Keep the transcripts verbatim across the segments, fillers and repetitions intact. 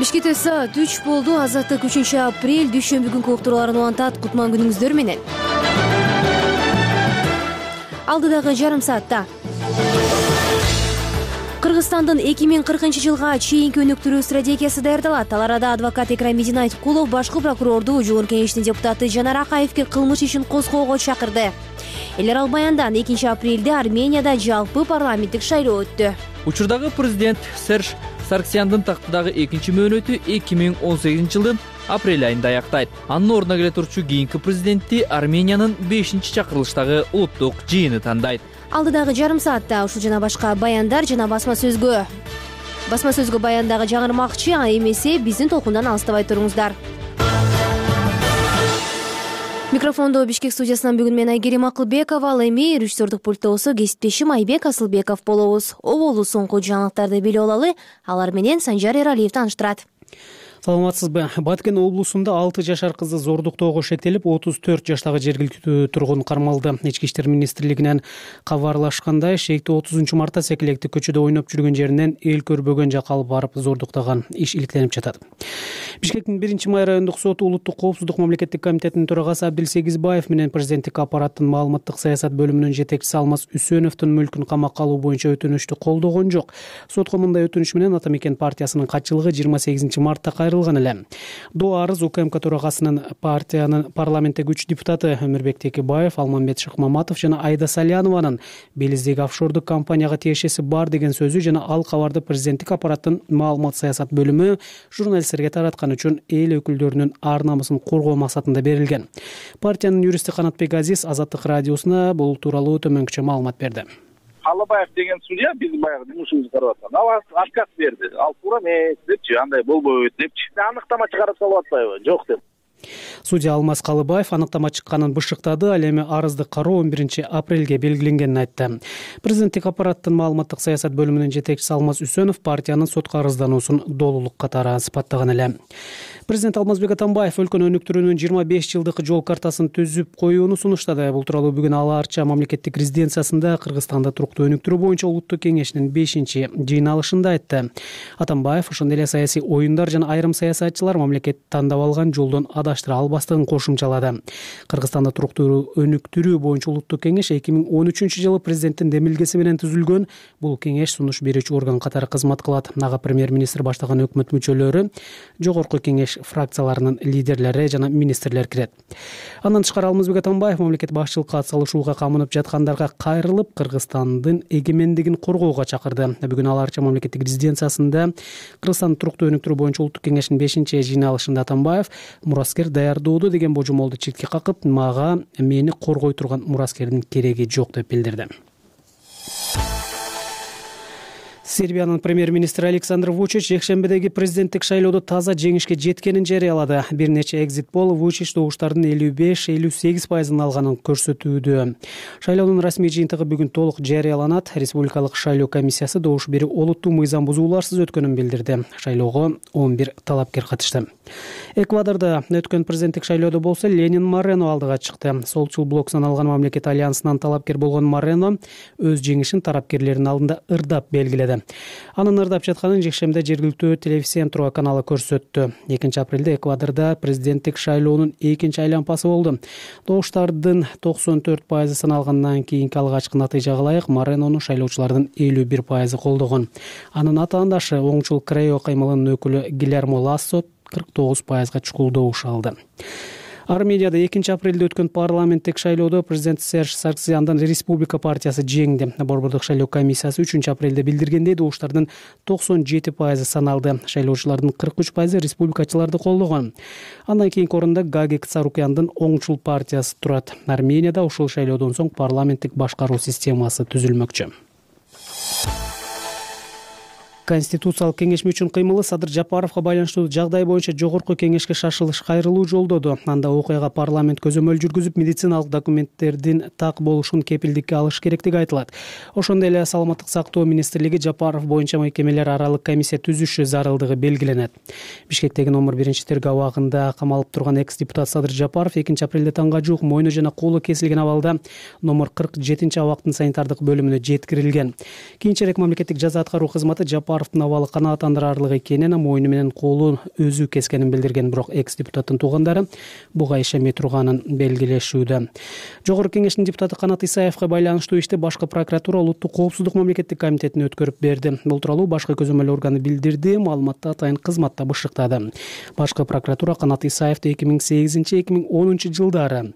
Бишкекте саат үч болду. Азаттык үчүнчү апрель дүйшөмбү күнкү уктурууларын улантат. Кутман күнүңүздөр менен. Алдыдагы жарым саатта Кыргызстандын эки миң кыркынчы жылга чейинки өнүктүрүү стратегиясы даярдалат. Ал арада адвокат Экрам Мединайткулов башкы прокурорду Жогорку Кеңештин депутаты Жанар Акаевге кылмыш ишин козгоого чакырды. Эл аралык баяндан экинчи апрелде Арменияда жалпы парламенттик шайлоо өттү. Учурдагы президент Серж Сарксяндын тактыдагы экинчи мөөнөтү эки миң он сегизинчи жылдын апрель айында аяктайт. Анын ордуна келе турчу кийинки президентти Армениянын бешинчи чакырылыштагы улуттук жыйыны тандайт. Алдыдагы жарым саатта ушул жана башка баяндар жана басма сөзгө басма сөзгө баяндагы жаңырмакчы, а эмесе биздин толкундан алыстабай туруңуздар. Микрофондо Бишкек студиясынан бүгүн мен Айгерим Акылбекова, ал эми режиссердук пультта болсо кесиптешим Айбек Асылбеков болобуз. Оболу соңку жаңылыктарды билип алалы, алар менен Санжар Эралиев тааныштырат. Саламатсызбы? Баткен облусунда алты жашар кызды зордуктоого шектелип, отуз төрт жаштагы жергиликтүү тургун кармалды. Ички иштер министрлигинен кабарлашкандай, шейкти отузунчу мартта Секилекти көчөдө ойноп жүргөн жеринен эл көрбөгөн жакка алып барып зордуктаган иш иликтенип жатат. Бишкектин биринчи май райондук соту Улуттук коопсуздук мамлекеттик комитетинин төрагасы Абдилсегизбаев менен президенттик аппараттын маалыматтык саясат бөлүмүнүн жетекчиси Алмаз Үсөновдун мүлкүн камакка алуу боюнча өтүнүштү колдогон жок. Сотко мындай өтүнүш менен Ата Мекен партиясынын катчылыгы жыйырма сегизинчи мартта кайрылган эле. До арыз УКМК төрагасынын партиянын парламенттеги үч депутаты Өмүрбек Текебаев, Алмамбет Шыкмаматов жана Айда Салянованын Белиздеги офшордук компанияга тиешеси бар деген сөзү жана ал кабарды президенттик аппараттын маалымат саясат бөлүмү журналисттерге тараткан үчүн эл өкүлдөрүнүн ар намысын коргоо максатында берилген. Партиянын юристи Канатбек Азиз Азаттык радиосуна бул тууралуу төмөнкүчө маалымат берди. Алыбаев деген судья биз баягы жумушубузду карап аткан. Ал отказ берди. Ал туура эмес депчи, андай болбойт депчи. Аныктама чыгарып салып атпайбы? Жок деп. Судья Алмаз Калыбаев аныктама чыкканын бышыктады, ал эми арызды кароо он биринчи апрелге белгиленгенин айтты. Президенттик аппараттын маалыматтык саясат бөлүмүнүн жетекчиси Алмаз Үсөнов партиянын сотко арыздануусун долулук катары сыпаттаган эле. Президент Алмазбек Атамбаев өлкөнү өнүктүрүүнүн жыйырма беш жылдык жол картасын түзүп коюуну сунуштады. Бул тууралуу бүгүн Ала Арча мамлекеттик резиденциясында Кыргызстанда туруктуу өнүктүрүү боюнча улуттук кеңешинин бешинчи жыйналышында айтты. Атамбаев ошондой эле саясий оюндар жана айрым саясатчылар мамлекет тандап алган жолдон адаштыра албастыгын кошумчалады. Кыргызстанда туруктуу өнүктүрүү боюнча улуттук кеңеш эки миң он үчүнчү жылы президенттин демилгеси менен түзүлгөн. Бул кеңеш сунуш берүүчү орган катары кызмат кылат. Ага премьер-министр баштаган өкмөт мүчөлөрү, жогорку кеңеш фракцияларынын лидерлери жана министрлер кирет. Андан тышкары Алмазбек Атамбаев мамлекет башчылыкка атсалышууга камынып жаткандарга кайрылып, Кыргызстандын эгемендигин коргоого чакырды. Бүгүн Ала Арча мамлекеттик резиденциясында Кыргызстандын туруктуу өнүктүрүү боюнча улуттук кеңештин бешинчи жыйналышында Атамбаев мураскер даярдоодо деген божомолду четке какып, мага мени коргой турган мураскердин кереги жок деп билдирди. Сербиянын премьер-министри Александр Вучич жекшембедеги президенттик шайлоодо таза жеңишке жеткенин жарыялады. Бир нече экзит пол Вучич добуштардын элүү беш элүү сегиз пайызын алганын көрсөтүүдө. Шайлоонун расмий жыйынтыгы бүгүн толук жарыяланат. Республикалык шайлоо комиссиясы добуш берүү олуттуу мыйзам бузууларсыз өткөнүн билдирди. Шайлоого он бир талапкер катышты. Эквадордо өткөн президенттик шайлоодо болсо Ленин Морено алдыга чыкты. Солчул блок саналган мамлекет альянсынан талапкер болгон Морено өз жеңишин тарапкерлердин алдында ырдап белгиледи. Анын ырдап жатканын жекшембиде жергиликтүү Телевизион каналы көрсөттү. экинчи апрелде Эквадордо президенттик шайлоонун экинчи айлампасы болду. Добуштардын токсон төрт пайызы саналгандан кийинки алгачкы натыйжага ылайык Моренону шайлоочулардын элүү бир пайызы колдогон. Анын атаандашы оңчул Крео каймылынын өкүлү Гильермо Лассо кырк тогуз пайызга чукул добуш алды. Арменияда экинчи апрелде өткөн парламенттик шайлоодо президент Серж Сарксяндын Республика партиясы жеңди. Борбордук шайлоо комиссиясы үчүнчү апрелде билдиргендей добуштардын токсон жети пайызы саналды. Шайлоочулардын кырк үч пайызы республикачыларды колдогон. Андан кийинки орунда Гагик Царукяндын оңчул партиясы турат. Арменияда ушул шайлоодон соң парламенттик башкаруу системасы түзүлмөкчү. Конституциялык кеңешме үчүн кыймылы Садыр Жапаровго байланыштуу жагдай боюнча жогорку кеңешке шашылыш кайрылуу жолдоду. Анда окуяга парламент көзөмөл жүргүзүп, медициналык документтердин так болушун кепилдикке алыш керектиги айтылат. Ошондой эле Саламаттык сактоо министрлиги Жапаров боюнча мекемелер аралык комиссия түзүшү зарылдыгы белгиленет. Бишкектеги номер биринчи тергөө абагында камалып турган экс-депутат Садыр Жапаров экинчи апрелде таңга жуук мойну жана колу кесилген абалда номер кырк жетинчи абактын санитардык бөлүмүнө жеткирилген. Кийинчерээк мамлекеттик жаза аткаруу кызматы Жапаров Умаровдун абалы канааттандырарлык экенин, мойну менен колун өзү кескенин билдирген. Бирок экс депутаттын туугандары буга ишенбей турганын белгилешүүдө. Жогорку кеңештин депутаты Канат Исаевга байланыштуу ишти башкы прокуратура Улуттук коопсуздук мамлекеттик комитетине өткөрүп берди. Бул тууралуу башкы көзөмөл органы билдирди. Маалыматты атайын кызматта бышыктады. Башкы прокуратура Канат Исаевди эки миң сегизинчи эки миң онунчу жылдары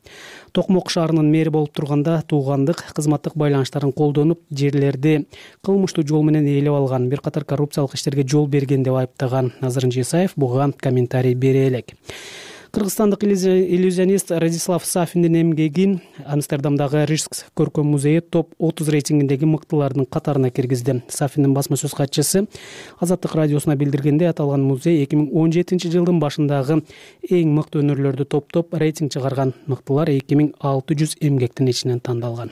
Токмок шаарынын мэри болуп турганда туугандык, кызматтык байланыштарын колдонуп, жерлерди кылмыштуу жол менен ээлеп алган, бир катар коррупциялык иштерге жол берген деп айыптаган. Азырынча Исаев буга комментарий бере элек. Кыргызстандык иллюзионист Радислав Сафиндин эмгегин Амстердамдагы Рижск көркөм музейи топ отуз рейтингиндеги мыктылардын катарына киргизди. Сафиндин басма сөз катчысы Азаттык радиосуна билдиргенде, аталган музей эки миң он жетинчи жылдын башындагы эң мыкты өнөрлөрдү топтоп рейтинг чыгарган. Мыктылар эки миң алты жүз эмгектин ичинен тандалган.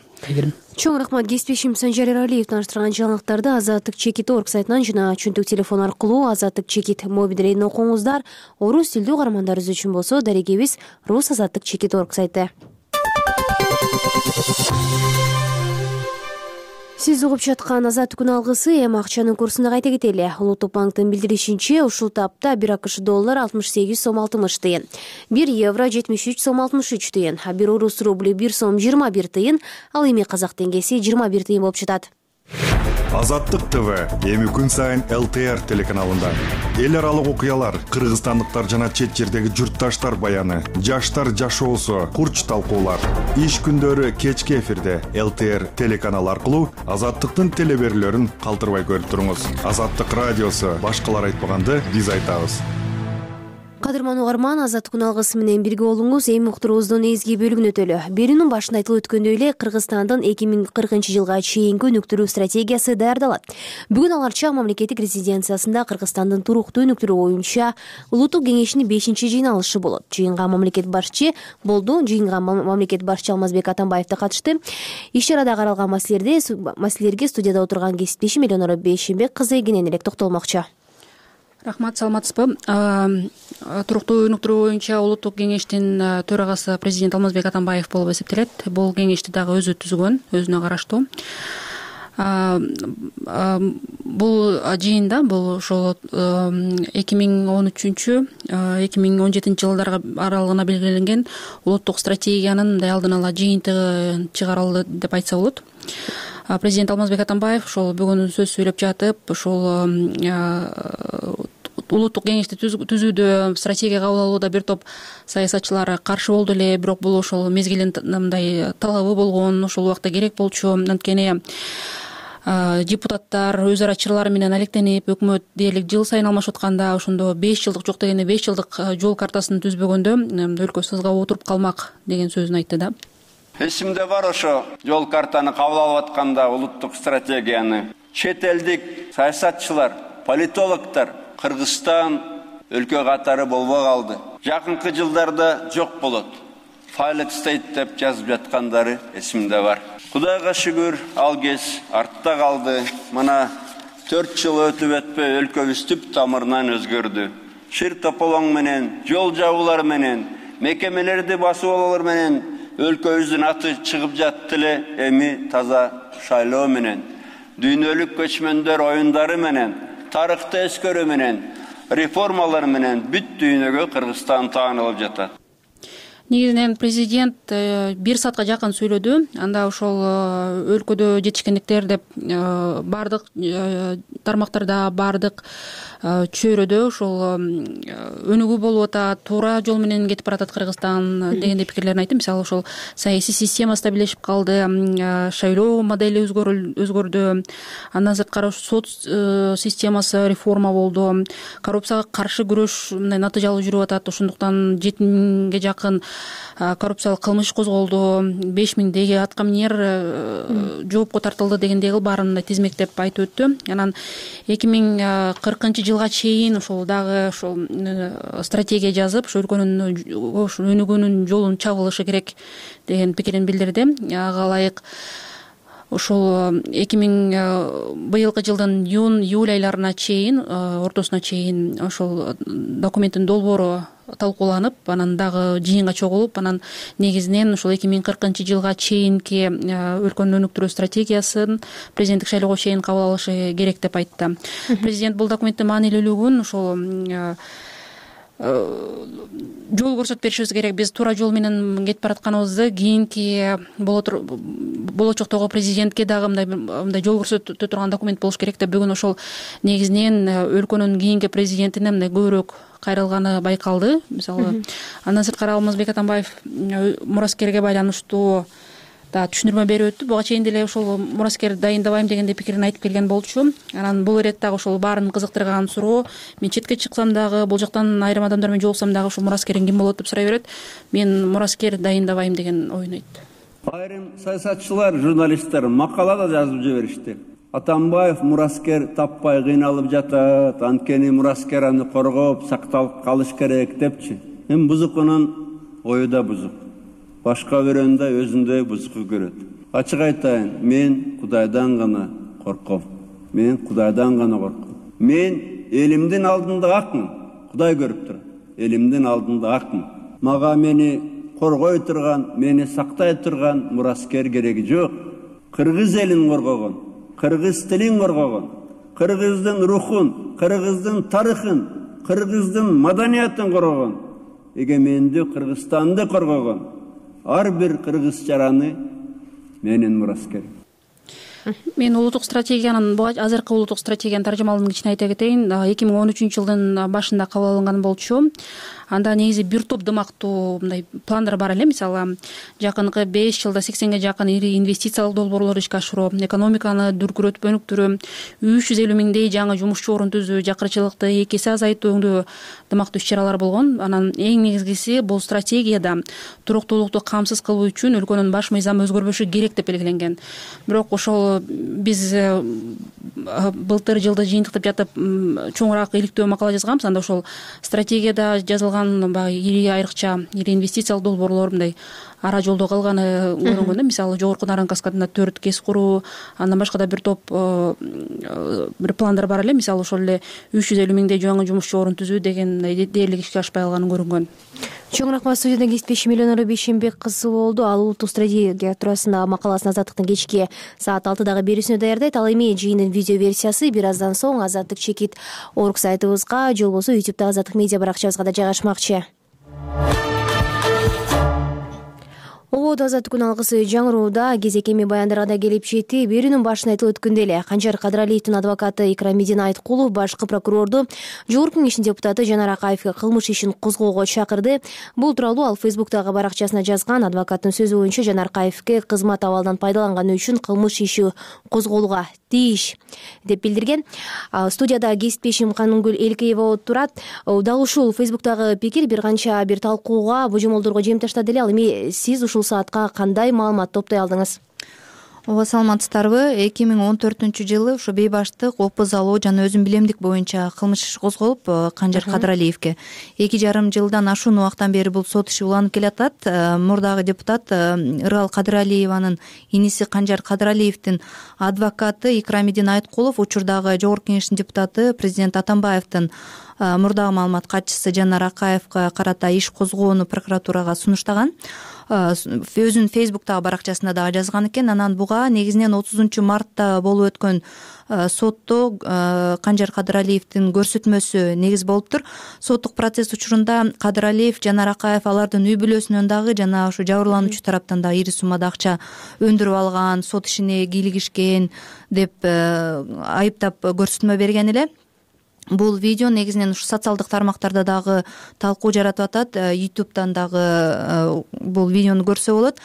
Чоң рахмат. Кесиптешим Санжар Эралиев таныштырган жаңылыктарды Азаттык чекит точка орг сайтынан жана чөнтөк телефон аркылуу Азаттык чекит мобилдерин окуңуздар. Орус тилдүү каармандарыбыз үчүн болсо дарегебиз Рус Азаттык чекит точка орг сайты. Сиз угуп жаткан Азаттык күн алгысы эми акчанын курсуна кайта кетели. Улуттук банктын билдиришинче, ушул тапта бир акш доллар алтымыш сегиз сом алтымыш тыйын, бир евро жетимиш үч сом алтымыш үч тыйын, а бир орус рубли бир сом жыйырма бир тыйын, ал эми казак теңгеси жыйырма бир тыйын болуп жатат. Азаттык ТВ эми күн сайын эл тэ эр телеканалында эл аралык окуялар, кыргызстандыктар жана чет жердеги журтташтар баяны, жаштар жашоосу, курч талкуулар. Иш күндөрү кечки эфирде эл тэ эр телеканалы аркылуу Азаттыктын телеберүүлөрүн калтырбай көрүп туруңуз. Азаттык радиосу башкалар айтпаганды биз айтабыз. Кадырман угарман, Азаттык күн алгысы менен бирге болуңуз. Эми уктуруубуздун эзги бөлүгүнө өтөлү. Берүүнүн башында айтылып өткөндөй эле Кыргызстандын эки миң кыркынчы жылга чейинки өнүктүрүү стратегиясы даярдалат. Бүгүн алар чак мамлекеттик резиденциясында Кыргызстандын туруктуу өнүктүрүү боюнча Улуттук кеңештин бешинчи жыйналышы болот. Жыйынга мамлекет башчы болду. Жыйынга мамлекет башчы Алмазбек Атамбаев да катышты. Иш чарада каралган маселелерде маселелерге студияда отурган кесиптешим Элеонора Бейшенбек кызы кенен элек токтолмокчу. Рахмат, саламатсызбы? Туруктуу өнүктүрүү боюнча Улуттук кеңештин төрагасы президент Алмазбек Атамбаев болуп эсептелет. Бул кеңешти дагы өзү түзгөн, өзүнө караштуу. Бул жыйында бул ошол эки миң он үчүнчү эки миң он жетинчи жылдар аралыгына белгиленген улуттук стратегиянын мындай алдын ала жыйынтыгы чыгарылды деп айтса болот. Президент Алмазбек Атамбаев ошол бүгүн сөз сүйлөп жатып, ошол улуттук кеңешти түзүүдө, стратегия кабыл алууда бир топ саясатчылар каршы болду эле, бирок бул ошол мезгилинде мындай талабы болгон, ошол убакта керек болчу. Анткени депутаттар өз ара чырлары менен алектенип, өкмөт дээрлик жыл сайын алмашып атканда, ошондо беш жылдык жок дегенде беш жылдык жол картасын түзбөгөндө өлкө сызга отуруп калмак деген сөзүн айтты да. Эсимде бар ошо жол картаны кабыл алып атканда улуттук стратегияны чет элдик саясатчылар, политологдор Кыргызстан өлкө катары болбой калды. Жакынкы жылдарда жок болот. Failed state деп жазып жаткандары эсимде бар. Кудайга шүгүр, ал кез артта калды. Мына төрт жыл өтүп өтпөй өлкөбүз түп тамырынан өзгөрдү. Шир тополоң менен, жол жабуулар менен, мекемелерди басып алуулар менен өлкөбүздүн аты чыгып жатты эле. Эми таза шайлоо менен, дүйнөлүк көчмөндөр оюндары менен, тарыхты эскөрүү менен, реформалар менен бүт дүйнөгө Кыргызстан таанылып жатат. Негизинен президент бир саатка жакын сүйлөдү. Анда ошол өлкөдө жетишкендиктер деп бардык тармактарда, бардык чөйрөдө ошол өнүгүү болуп атат, туура жол менен кетип баратат Кыргызстан дегендей пикирлерин айтты. Мисалы ошол саясий система стабилдешип калды, шайлоо модели өзгөрдү, андан сырткары сот системасы реформа болду, коррупцияга каршы күрөш мындай натыйжалуу жүрүп атат. Ошондуктан жети миңге жакын коррупциялык кылмыш козголду, беш миңдеги аткаминер жоопко тартылды дегендей баарын тизмектеп айтып өттү. Анан эки миң кыркынчы жылга чейин ошол дагы ошол стратегия жазып, ошол өлкөнүн өнүгүүнүн жолун чабылышы керек деген пикирин билдирди. Ага ылайык ошол эки миң быйылкы жылдын июнь июль айларына чейин, ортосуна чейин ошол документтин долбоору талкууланып, анан дагы жыйынга чогулуп, анан негизинен ушул эки миң кыркынчы жылга чейинки өлкөнү өнүктүрүү стратегиясын президенттик шайлоого чейин кабыл алышы керек деп айтты. Президент бул документтин маанилүүлүгүн ошол жол көрсөтүп беришибиз керек. Биз туура жол менен кетип баратканыбызды кийинки болочоктогу президентке дагы мындай мындай жол көрсөтө турган документ болуш керек деп бүгүн ошол негизинен өлкөнүн кийинки президентине мындай көбүрөөк кайрылганы байкалды. Мисалы, андан сырткары Алмазбек Атамбаев мураскерге байланыштуу да түшүндүрмө берип өттү. Буга чейин деле ошол мураскер дайындабайм дегенде пикирин айтып келген болчу. Анан бул ирет дагы ошол баарын кызыктырган суроо. Мен четке чыксам дагы, бул жактан айрым адамдар менен жолуксам дагы ушул мураскериң ким болот деп сурай берет. Мен мураскер дайындабайм деген оюн айтты. Айрым саясатчылар, журналисттер макала да жазып жиберишти. Атамбаев мураскер таппай кыйналып жатат, анткени мураскер аны коргоп, сакталып калыш керек депчи. Эми бузукунун ою да бузук. Башка бирөөндө өзүндөй бузуку көрөт. Ачык айтайын, мен Кудайдан гана корком. Мен Кудайдан гана корком. Мен элимдин алдында акмын. Кудай көрүп турат. Элимдин алдында акмын. Мага мени коргой турган, мени сактай турган мураскер кереги жок. Кыргыз элин коргогон, кыргыз тилин коргогон, кыргыздын рухун, кыргыздын тарыхын, кыргыздын маданиятын коргогон, эгемендүү Кыргызстанды коргогон ар бир кыргыз жараны менин мураскер. Мен улуттук стратегиянын, азыркы улуттук стратегиянын таржымалын кичине айта кетейин. эки миң он үчүнчү жылдын башында кабыл алынган болчу. Анда негизи бир топ дымактуу мындай пландар бар эле. Мисалы, жакынкы беш жылда сексенге жакын ири инвестициялык долбоорлорду ишке ашыруу, экономиканы дүркүрөтүп өнүктүрүү, үч жүз элүү миңдей жаңы жумушчу орун түзүү, жакырчылыкты эки эсе азайтуу өңдүү дымактуу иш-чаралар болгон. Анан эң негизгиси бул стратегияда туруктуулукту камсыз кылуу үчүн өлкөнүн баш мыйзамы өзгөрбөшү керек деп белгиленген. Бирок ошол биз былтыр жылды жыйынтыктап жатып чоңураак иликтөө макала жазганбыз. Анда ошол стратегияда жазылган баягы ири айрыкча ири инвестициялык долбоорлор мындай ара жолдо калганы көрүнгөн да. Мисалы, жогорку Наран каскадында төрт КЭС куруу, андан башка да бир топ бир пландар бар эле. Мисалы, ошол эле үч жүз элүү миңдей жаңы жумушчу орун түзүү деген дээрлик ишке ашпай калганы көрүнгөн. Чоң рахмат. Студияда кесиптешим Элеонора Бейшенбек кызы болду. Ал улуттук стратегия туурасында макаласын Азаттыктын кечки саат алтыдагы берүүсүнө даярдайт. Ал эми жыйындын видео версиясы бир аздан соң Азаттык чекит орг сайтыбызга же болбосо ютубта Азаттык медиа баракчабызга да жайгашмакчы. Ободо Азаттыктын алгысы жаңырууда кезек эми баяндарга да келип жетти. Берүүнүн башында айтылып өткөндөй эле Канжар Кадралиевдин адвокаты Икрамидин Айткулов башкы прокурорду Жогорку Кеңештин депутаты Жанар Акаевге кылмыш ишин козгоого чакырды. Бул тууралуу ал Фейсбуктагы баракчасына жазган. Адвокаттын сөзү боюнча Жанар Акаевге кызмат абалдан пайдаланганы үчүн кылмыш иши козголууга тийиш деп билдирген. Студияда кесиптешим Канынгүл Элкеева отурат. Дал ушул Фейсбуктагы пикир бир канча бир талкууга, божомолдорго жем таштады эле. Ал эми сиз ушул саатка кандай маалымат топтой алдыңыз? Ооба, саламатсыздарбы? эки миң он төртүнчү жылы ушу бейбаштык, опуз алуу жана өзүм билемдик боюнча кылмыш иши козголуп, Канжар Кадралиевге эки жарым жылдан ашуун убактан бери бул сот иши уланып келатат. Мурдагы депутат Ырал Кадралиеванын иниси Канжар Кадралиевдин адвокаты Икрамидин Айткулов учурдагы Жогорку Кеңештин депутаты президент Атамбаевдин мурдагы маалымат катчысы Жанар Акаевга карата иш козгоону прокуратурага сунуштаган. Өзүнүн Фейсбуктагы баракчасында дагы жазган экен. Анан буга негизинен отузунчу мартта болуп өткөн сотто Канжар Кадралиевдин көрсөтмөсү негиз болуптур. Соттук процесс учурунда Кадралиев, Жанар Акаев алардын үй бүлөсүнөн дагы жана ушу жабырлануучу тараптан да ири суммада акча өндүрүп алган, сот ишине кийлигишкен деп айыптап көрсөтмө берген эле. Бул видео негизинен ушу социалдык тармактарда дагы талкуу жаратып атат. ютубтан дагы бул видеону көрсө болот.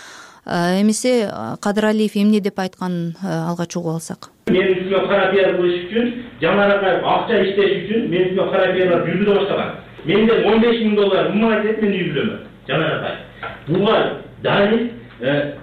Эмесе Кадралиев эмне деп айтканын алгач угуп алсак. Менин үстүмө кара пиар кылыш үчүн, Жанар Акаев акча иштеш үчүн менин үстүмө кара пиарлар жүргүзө баштаган. Менден он беш миң доллар мымайт этип менин үй бүлөмө. Жанар Акаев. Буга дайын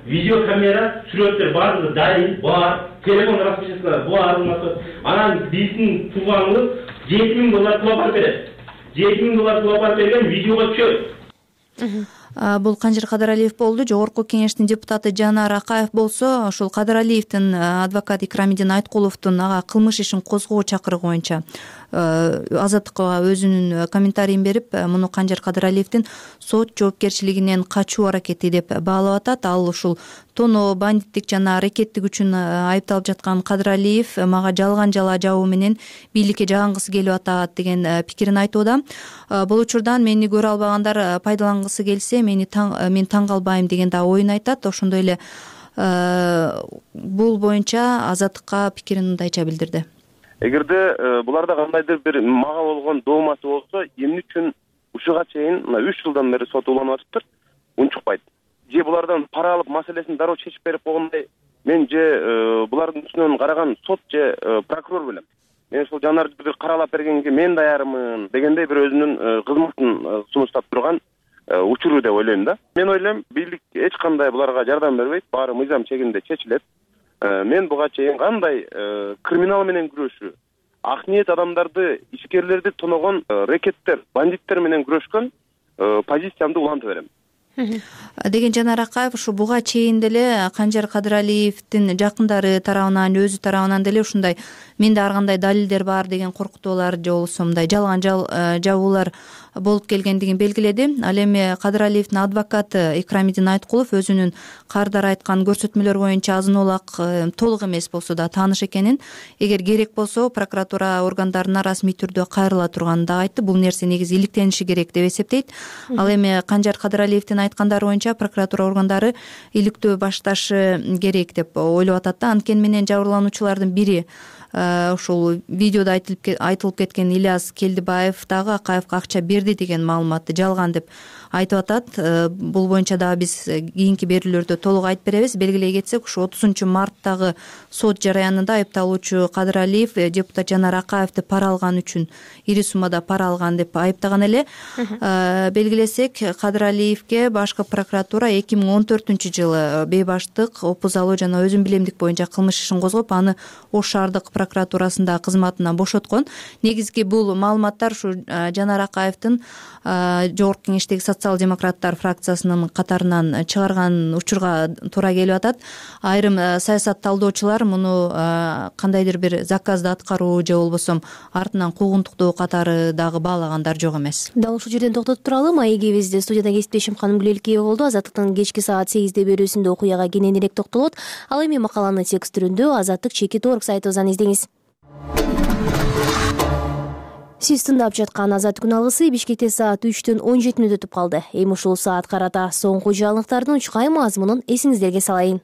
видео камера, сүрөттөр баардыгы дайын, бар, телефон распечаткалар бар. Анан биздин тууганыбыз жети миң доллар пул апарып берет. жети миң доллар пул апарып берген видеого түшөт. бул Канжер Кадыралиев болду. Жогорку кеңештин депутаты Жанар Акаев болсо ушул Кадыралиевдин адвокат Икрамидин Айткуловдун ага кылмыш ишин козгоо чакырыгы боюнча Азаттыкка өзүнүн комментарийин берип, муну Канжер Кадыралиевдин сот жоопкерчилигинен качуу аракети деп баалап атат. Ал ушул тоноо, бандиттик жана аракеттик үчүн айыпталып жаткан Кадыралиев мага жалган жала жабуу менен бийликке жагынгысы келип атат деген пикирин айтууда. Бул учурдан мени көрө албагандар пайдалангысы келсе, мени мен таң калбайм деген да оюн айтат. Ошондой эле бул боюнча Азаттыкка пикирин мындайча билдирди. Эгерде буларда кандайдыр бир мага болгон доомасы болсо, эмне үчүн ушуга чейин мына үч жылдан бери сот уланып атыптыр, унчукпайт. Же булардан пара алып маселесин дароо чечип берип койгондой, мен же булардын үстүнөн караган сот же прокурор белем. Мен ушул Жанарды бир каралап бергенге мен даярмын дегендей бир өзүнүн кызматын сунуштап турган учуру деп ойлойм да. Мен ойлойм, бийлик эч кандай буларга жардам бербейт, баары мыйзам чегинде чечилет. Мен буга чейин кандай криминал менен күрөшүү, ак ниет адамдарды, ишкерлерди тоногон рекеттер, бандиттер менен күрөшкөн позициямды улантып берем деген Жанар Акаев ушу буга чейин деле Канжер Кадыралиевдин жакындары тарабынан, өзү тарабынан деле ушундай менде ар кандай далилдер бар деген коркутуулар же болбосо мындай жалган жабуулар болуп келгендигин белгиледи. Ал эми Кадыралиевдин адвокаты Икрамидин Айткулов өзүнүн кардар айткан көрсөтмөлөр боюнча азын олак толук эмес болсо да тааныш экенин, эгер керек болсо прокуратура органдарына расмий түрдө кайрыла турганын да айтты. Бул нерсе негизи иликтениши керек деп эсептейт. Ал эми Канжер Кадыралиевдин айткандары боюнча прокуратура органдары иликтөө башташы керек деп ойлоп атат да. Анткени менен жабырлануучулардын бири ушул видеодо айтылып кеткен Ильяс Келдибаев дагы Акаевга акча берди деген маалыматты жалган деп айтып атат. Бул боюнча дагы биз кийинки берүүлөрдө толук айтып беребиз. Белгилей кетсек, ушу отузунчу марттагы сот жараянында айыпталуучу Кадыралиев депутат Жанар Акаевди пара алган үчүн, ири суммада пара алган деп айыптаган эле. Белгилесек, Кадыралиевге башкы прокуратура эки миң он төртүнчү жылы бейбаштык, опуз алуу жана өзүн билемдик боюнча кылмыш ишин козгоп, аны Ош шаардык прокуратурасында кызматынан бошоткон. Негизги бул маалыматтар ушу Жанар Акаевдин жогорку кеңештеги социал-демократтар фракциясынын катарынан чыгарган учурга туура келип атат. Айрым саясат талдоочулар муну кандайдыр бир заказды аткаруу же болбосо артынан куугунтуктоо катары дагы баалагандар жок эмес. Дал ушул жерден токтотуп туралы. Маегибизде студияда кесиптешим Ханым Гүлелкеева болду. Азаттыктын кечки саат сегизде берүүсүндө окуяга кененирээк токтолот. Ал эми макаланы текст түрүндө Азаттык чекит орг сайтыбыздан издеңиз. Сиз тыңдап жаткан Азаттык күн алгысы Бишкекте саат үчтөн он жети мүнөт өтүп калды. Эми ушул саат карата соңку жаңылыктардын учкай мазмунун эсиңиздерге салайын.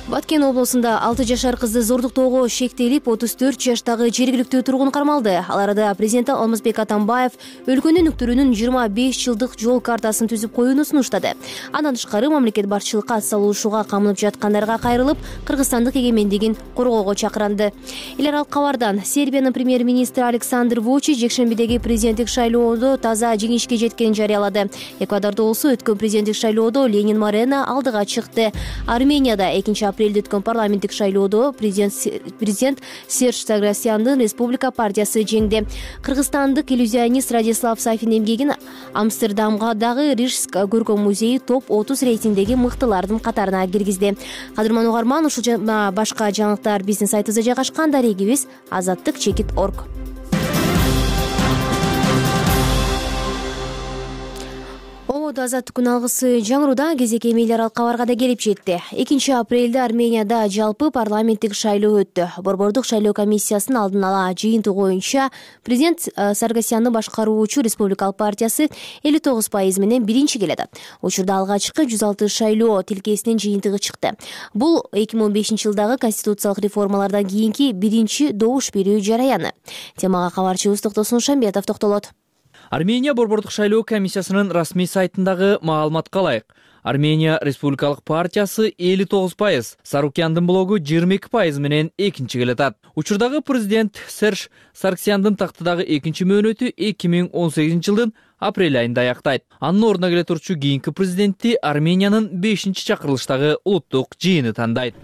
Баткен облусунда алты жашар кызды зордуктоого шектелип, отуз төрт жаштагы жергиликтүү тургун кармалды. Ал арада президент Алмазбек Атамбаев өлкөнүн өктүрүүнүн жыйырма беш жылдык жол картасын түзүп коюуну сунуштады. Андан тышкары мамлекет башчылыкка ат салуушуга камынып жаткандарга кайрылып, кыргызстандык эгемендигин коргоого чакыранды. Эл аралык кабардан Сербиянын премьер-министри Александр Вучич жекшембидеги президенттик шайлоодо таза жеңишке жеткенин жарыялады. Эквадордо болсо өткөн президенттик шайлоодо Ленин Морено алдыга чыкты. Арменияда экинчи апрелде өткөн парламенттик шайлоодо президент президент Серж Саргсяндын Республика партиясы жеңди. Кыргызстандык иллюзионист Радислав Сафин эмгегин Амстердамга дагы Рижск көркөм музейи топ отуз рейтингдеги мыктылардын катарына киргизди. Кадырман угарман, ушул жана башка жаңылыктар биздин сайтыбызда жайгашкан. Дарегибиз азаттык чекит орг. Азаттык күн алгысы жаңыруда кезеки эми эл аралык кабарга да келип жетти. экинчи апрелде Арменияда жалпы парламенттик шайлоо өттү. Борбордук шайлоо комиссиясынын алдын ала жыйынтыгы боюнча президент Саргсянды башкаруучу Республикалык партиясы элүү тогуз пайыз менен биринчи келет. Учурда алгачкы жүз алты шайлоо тилкесинин жыйынтыгы чыкты. Бул эки миң он бешинчи жылдагы конституциялык реформалардан кийинки биринчи добуш берүү жараяны. Темага кабарчыбыз Токтосун Шамбетов токтолот. Армения борбордук шайлоо комиссиясынын расмий сайтындагы маалыматка ылайык, Армения Республикалык партиясы элүү тогуз пайыз, Сарукяндын блогу жыйырма эки пайыз менен экинчи келет. Учурдагы президент Серж Саргсяндын тактыдагы экинчи мөөнөтү эки миң он сегизинчи жылдын апрель айында аяктайт. Анын ордуна келе турчу кийинки президентти Армениянын бешинчи чакырылыштагы улуттук жыйыны тандайт.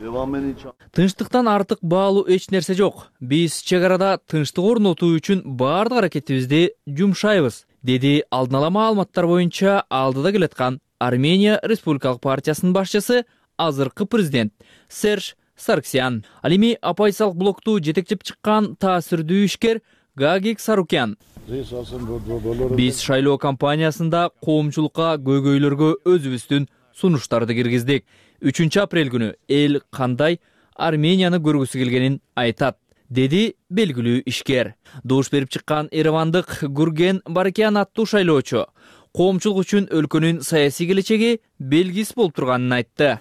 Тынчтыктан артык баалуу эч нерсе жок. Биз чек арада тынчтык орнотуу үчүн баардык аракетибизди жумшайбыз, деди алдын ала маалыматтар боюнча алдыда келаткан Армения Республикалык партиясынын башчысы, азыркы президент Серж Сарксян. Ал эми оппозициялык блокту жетектеп чыккан таасирдүү ишкер Гагик Сарукян. Биз шайлоо кампаниясында коомчулукка, көйгөйлөргө өзүбүздүн сунуштарды киргиздик. үчүнчү апрель күнү эл кандай Арменияны көргүсү келгенин айтат, деди белгилүү ишкер. Добуш берип чыккан Еревандык Гурген Баракян аттуу шайлоочу коомчулук үчүн өлкөнүн саясий келечеги белгисиз болуп турганын айтты.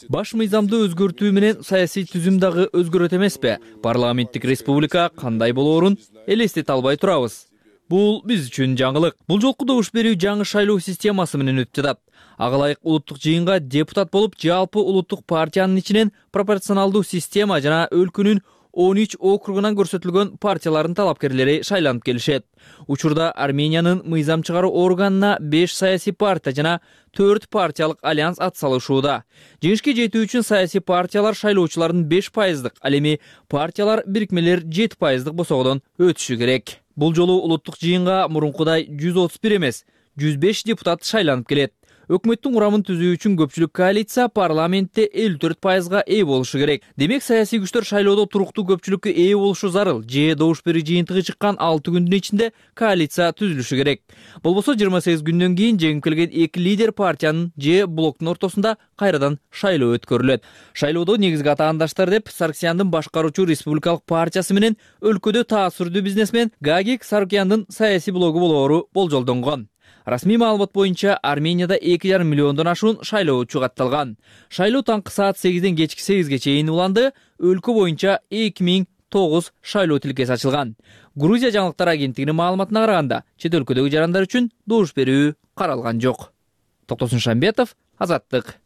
Баш мыйзамды өзгөртүү менен саясий түзүм дагы өзгөрөт эмеспи? Парламенттик республика кандай болоорун элестете албай турабыз. Бул биз үчүн жаңылык. Бул жолку добуш берүү жаңы шайлоо системасы менен өтүп жатат. Ага ылайык улуттук жыйынга депутат болуп, жалпы улуттук партиянын ичинен пропорционалдуу система жана өлкөнүн он үч округунан көрсөтүлгөн партиялардын талапкерлери шайланып келишет. Учурда Армениянын мыйзам чыгаруу органына беш саясий партия жана төрт партиялык альянс ат салышууда. Жеңишке жетүү үчүн саясий партиялар шайлоочулардын беш пайыздык, ал эми партиялар бирикмелер жети пайыздык босогодон өтүшү керек. Бул жолу улуттук жыйынга мурункудай жүз отуз бир эмес, жүз беш депутат шайланып келет. Өкмөттүн курамын түзүү үчүн көпчүлүк коалиция парламентте элүү төрт пайызга ээ болушу керек. Демек саясий күчтөр шайлоодо туруктуу көпчүлүккө ээ болушу зарыл. Же добуш берүү жыйынтыгы чыккан алты күндүн ичинде коалиция түзүлүшү керек. Болбосо жыйырма сегиз күндөн кийин жеңип келген эки лидер партиянын же блоктун ортосунда кайрадан шайлоо өткөрүлөт. Шайлоодо негизги атаандаштар деп Сарксяндын башкаруучу республикалык партиясы менен өлкөдө таасирдүү бизнесмен Гагик Сарукяндын саясий блогу болоору болжолдонгон. Расмий маалымат боюнча Арменияда эки жарым миллиондон ашуун шайлоочу катталган. Шайлоо таңкы саат сегизден кечки сегизге чейин уланды. Өлкө боюнча эки миң тогуз шайлоо тилкеси ачылган. Грузия жаңылыктар агенттигинин маалыматына караганда, чет өлкөдөгү жарандар үчүн добуш берүү каралган жок. Токтосун Шамбетов, Азаттык.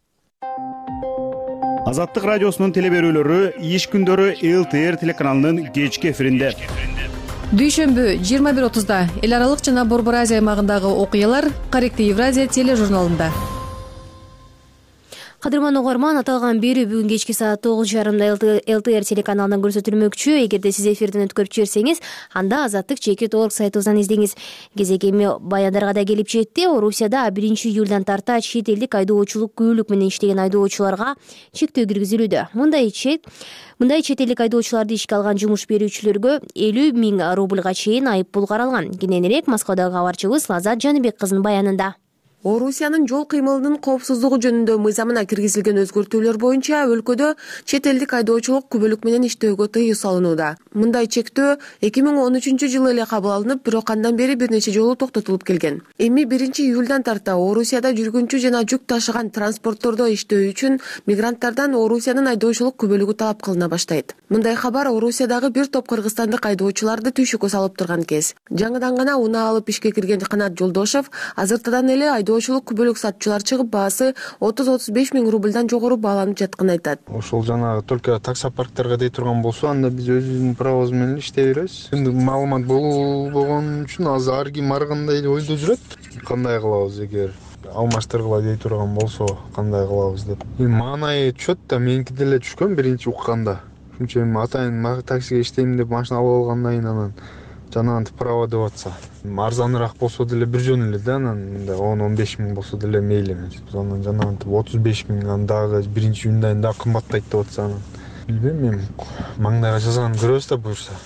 Азаттык радиосунун теле берүүлөрү иш күндөрү эл тэ эр телеканалынын кечки эфиринде. Дүйшөмбү жыйырма бир отузда эл аралык жана Борбор Азия аймагындагы окуялар Корректив Евразия тележурналында. Кадырман угарман, аталган берүү бүгүн кечки саат тогуз жарымда эл тэ эр телеканалынан көрсөтүлмөкчү. Эгерде сиз эфирден өткөрүп жиберсеңиз, анда Азаттык чекит точка орг сайтыбыздан издеңиз. Кезек эми баяндарга да келип жетти. Орусияда биринчи июлдан тарта чет элдик айдоочулук күбөлүк менен иштеген айдоочуларга чектөө киргизилүүдө. Мындай чек Мындай чет элдик айдоочуларды ишке алган жумуш берүүчүлөргө элүү миң рубльга чейин айып пул каралган. Кененирээк Москвадагы кабарчыбыз Лазат Жаныбек кызынын баянында. Орусиянын жол кыймылынын коопсуздугу жөнүндө мыйзамына киргизилген өзгөртүүлөр боюнча өлкөдө чет элдик айдоочулук күбөлүк менен иштөөгө тыюу салынууда. Мындай чектөө эки миң он үчүнчү жылы эле кабыл алынып, бирок андан бери бир нече жолу токтотулуп келген. Эми биринчи июлдан тарта Орусияда жүргүнчү жана жүк ташыган транспорттордо иштөө үчүн мигранттардан Орусиянын айдоочулук күбөлүгү талап кылына баштайт. Мындай кабар Орусиядагы бир топ кыргызстандык айдоочуларды түйшүккө салып турган кез. Жаңыдан гана унаа алып ишке кирген Канат Жолдошов азыртадан эле айдоочулук күбөлүк сатчылар чыгып, баасы отуз отуз беш миң рубльдан жогору бааланып жатканын айтат. Ошол жанагы только таксопарктерге дей турган болсо, анда биз өзүбүздүн правобуз менен иштей беребиз. Эми маалымат болбогон үчүн азыр ар ким ар кандай ойдо жүрөт. Кандай кылабыз эгер алмаштыргыла дей турган болсо, кандай кылабыз деп. Эми маанайы түшөт да, меники деле түшкөн биринчи укканда. Ошончо эми атайын таксиге иштейм деп машина алып алгандан кийин анан жанагынтип право деп атса, арзаныраак болсо деле бир жөн эле да, анан он он беш миң болсо деле мейли эмес. Биз анан жанагынтип отуз беш миң, анан дагы биринчи июндан дагы кымбаттайт деп атса, анан билбейм, эми маңдайга жазганын көрөбүз да буюрса.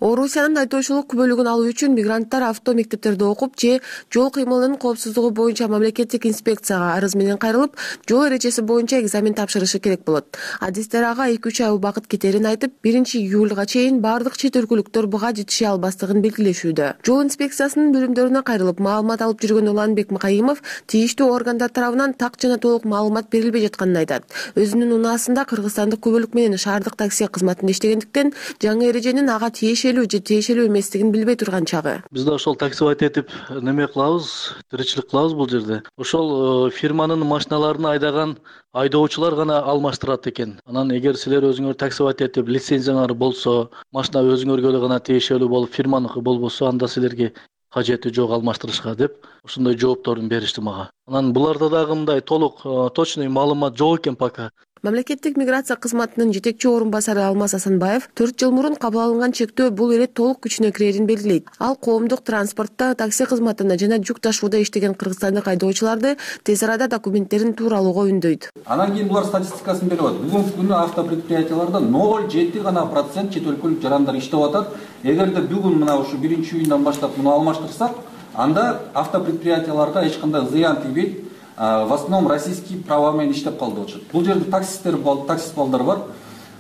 Орусиянын айдоочулук күбөлүгүн алуу үчүн мигранттар авто мектептерде окуп же жол кыймылынын коопсуздугу боюнча мамлекеттик инспекцияга арыз менен кайрылып, жол эрежеси боюнча экзамен тапшырышы керек болот. Адистер ага эки үч ай убакыт кетерин айтып, биринчи июлга чейин бардык чет өлкөлүктөр буга жетише албастыгын белгилешүүдө. Жол инспекциясынын бөлүмдөрүнө кайрылып маалымат алып жүргөн Уланбек Макайымов тийиштүү органдар тарабынан так жана толук маалымат берилбей жатканын айтат. Өзүнүн унаасында кыргызстандык күбөлүк менен шаардык такси кызматында иштегендиктен жаңы эреженин ага тиешелүү же тиешелүү эместигин билбей турган чагы. Биз да ошол таксивайт этип неме кылабыз, тиричилик кылабыз бул жерде. Ошол фирманын машиналарын айдаган айдоочулар гана алмаштырат экен. Анан эгер силер өзүңөр таксивайт этип лицензияңар болсо, машина өзүңөргө эле гана тиешелүү болуп, фирманыкы болбосо, анда силерге кажети жок алмаштырышка деп ушундай жоопторун беришти мага. Анан буларда дагы мындай толук точный маалымат жок экен пока. Мамлекеттик миграция кызматынын жетекчи орун басары Алмаз Асанбаев төрт жыл мурун кабыл алынган чектөө бул эле толук күчүнө кирерин белгилейт. Ал коомдук транспортто, такси кызматында жана жүк ташууда иштеген кыргызстандык айдоочуларды тез арада документтерин туура алууга үндөйт. Анан кийин булар статистикасын берип атат. Бүгүнкү күнү автопредприятияларда ноль жети гана процент чет өлкөлүк жарандар иштеп атат. Эгерде бүгүн мына ушу биринчи июндан баштап муну алмаштырсак, анда автопредприятияларга эч кандай зыян тийбейт. В основном российский права менен иштеп калды болчу. Бул жерде таксисттер бар, таксист балдар бар.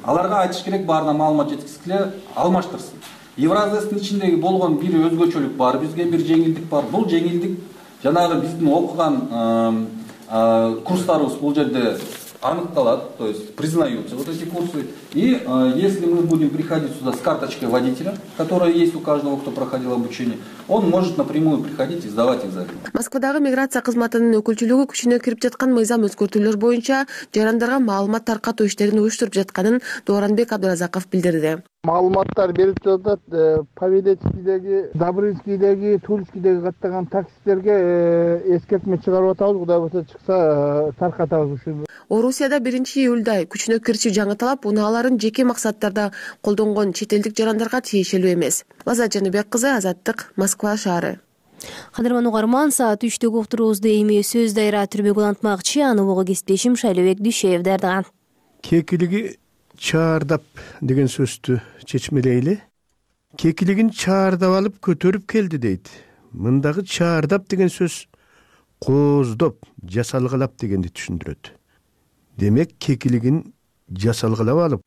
Аларга айтыш керек, баарына маалымат жеткизгиле, алмаштырсын. Евразиясынын ичиндеги болгон бир өзгөчөлүк бар, бизге бир жеңилдик бар. Бул жеңилдик жанагы биздин окуган курстарыбыз бул жерде аныкталат, то есть признаются вот эти курсы. И э, если мы будем приходить сюда с карточкой водителя, которая есть у каждого, кто проходил обучение, он может напрямую приходить и сдавать экзамен. Москвадагы миграция кызматынын өкүлчүлүгү күчүнө кирип жаткан мыйзам өзгөртүүлөр боюнча жарандарга маалымат таркатуу иштерин уюштуруп жатканын Дооранбек Абдыразаков билдирди. Маалыматтар берип жатат. Павелецкийдеги, Добрынскийдеги, Тульскийдеги каттаган таксисттерге эскертме чыгарып атабыз. Кудай болсо чыкса таркатабыз ушуну. Орусияда биринчи июлда күчүнө кирчи жаңы талап унааларын жеке максаттарда колдонгон чет элдик жарандарга тиешелүү эмес. Азат Жаныбек кызы, Азаттык, Москва шаары. Кадырман угарман, саат үчтөгү уктуруубузду эми сөз дайра түрмөгүн антмакчы, аны бого кесиптешим Шайлебек Дүйшеев даярдаган. Кекилиги чаардап деген сөздү чечмелейли. Кекилигин чаардап алып көтөрүп келди дейт. Мындагы чаардап деген сөз кооздоп, жасалгалап дегенди түшүндүрөт. Демек кекилигин жасалгалап алып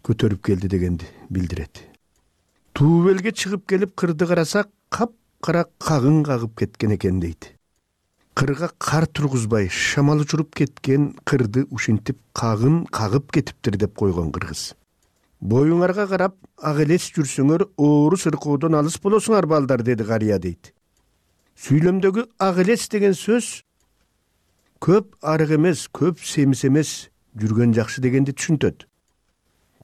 көтөрүп келди дегенди билдирет. Туубелге чыгып келип кырды карасак, кап-кара кагын кагып кеткен экен дейт. Кырга кар тургузбай шамал учуруп кеткен кырды ушинтип кагын кагып кетиптир деп койгон кыргыз. Боюңарга карап ак элес жүрсөңөр оору сыркоодон алыс болосуңар балдар, деди карыя дейт. Сүйлөмдөгү ак элес деген сөз көп арык эмес, көп семиз эмес, жүргөн жакшы дегенди түшүнтөт.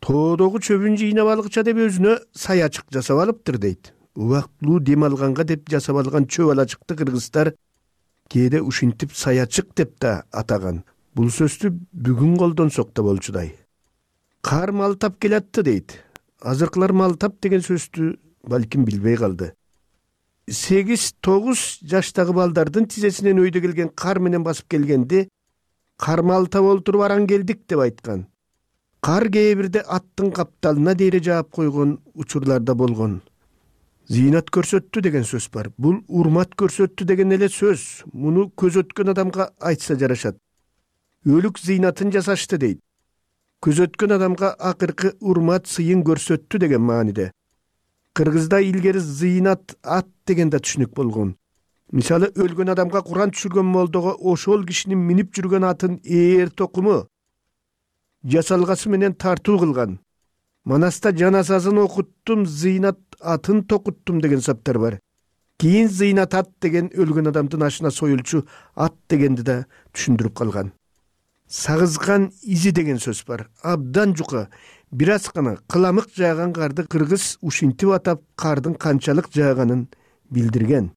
Тоодогу чөбүн жыйнап алгыча деп өзүнө саячык жасап алыптыр дейт. Убактылуу дем алганга деп жасап алган чөп алачыкты кыргыздар кээде ушинтип саячык деп да атаган. Бул сөздү бүгүн колдонсок да болчудай. Кар малтап келатты дейт. Азыркылар малтап деген сөздү балким билбей калды. сегиз тогуз жаштагы балдардын тизесинен өйдө келген кар менен басып келгенде кар малтап олтуруп аран келдик деп айткан. Кар кээ бирде аттын капталына дейре жаап койгон учурларда болгон. Зыйнат көрсөттү деген сөз бар. Бул урмат көрсөттү деген эле сөз. Муну көз өткөн адамга айтса жарашат. Өлүк зыйнатын жасашты дейт. Көз өткөн адамга акыркы урмат сыйын көрсөттү деген мааниде. Кыргызда илгери зыйнат ат деген да түшүнүк болгон. Мисалы өлгөн адамга Куран түшүргөн молдого ошол кишинин минип жүргөн атын ээр токуму жасалгасы менен тартуу кылган. Манаста жаназасын окуттум, зыйнат атын токуттум деген саптар бар. Кийин зыйнат ат деген өлгөн адамдын ашына союлчу ат дегенди да түшүндүрүп калган. Сагызган изи деген сөз бар. Абдан жука, бир аз гана кыламык жааган карды кыргыз ушинтип атап кардын канчалык жааганын билдирген.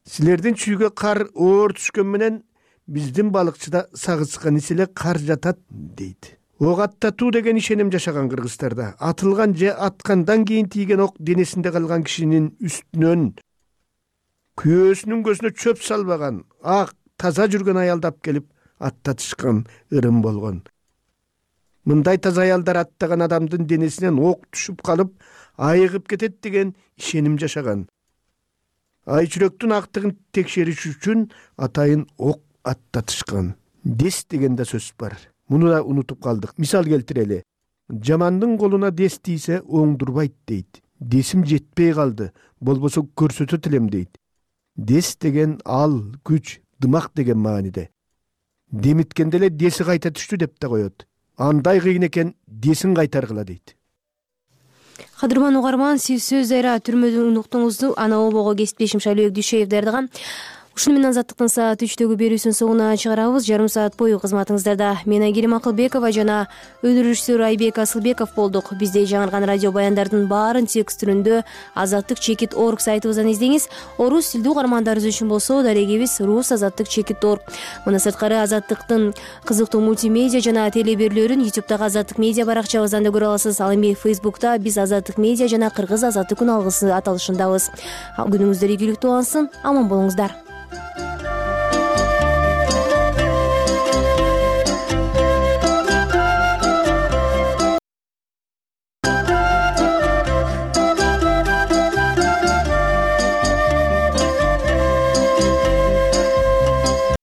Силердин чүйгө кар оор түшкөн менен биздин балыкчыда сагызган иселе кар жатат дейт. Ок аттатуу деген ишеним жашаган кыргыздарда. Атылган же аткандан кийин тийген ок денесинде калган кишинин үстүнөн күйөөсүнүн көзүнө чөп салбаган, ак, таза жүргөн аялдап келип аттатышкан ырым болгон. Мындай таза аялдар аттаган адамдын денесинен ок түшүп калып, айыгып кетет деген ишеним жашаган. Ай жүрөктүн актыгын текшериш үчүн атайын ок аттатышкан. Дес деген да сөз бар. Муну да унутуп калдык. Мисал келтирели. Жамандын колуна дес тийсе оңдурбайт дейт. Десим жетпей калды, болбосо көрсөтөт элем дейт. Дес деген ал, күч, дымак деген мааниде. Демиткенде эле деси кайта түштү деп да коет. Андай кыйын экен, десин кайтаргыла дейт. Кадырман угарман, сиз сөз дайра түрмөдөн уктуңузду, аны обого кесиптешим Шайлебек Дүйшеев даярдаган. ушуну менен азаттыктын саат үчтөгү берүүсүн соңуна чыгарабыз. Жарым саат бою кызматыңыздарда мен Айгерим Акылбекова жана өндүрүшчүсү Айбек Асылбеков болдук. Бизде жаңырган радио баяндардын баарын текст түрүндө азаттык чекит точка орг сайтыбыздан издеңиз. Орус тилдүү угармандарыбыз үчүн болсо дарегибиз рус азаттык чекит точка орг. Мына сырткары азаттыктын кызыктуу мультимедиа жана телеберлөрүн ютубтагы азаттык медиа баракчабыздан да көрө аласыз. Ал эми фейсбукта биз азаттык медиа жана кыргыз азаттык күн алгысы аталышындабыз. Күнүңүздөр ийгиликтүү болсун, аман болуңуздар.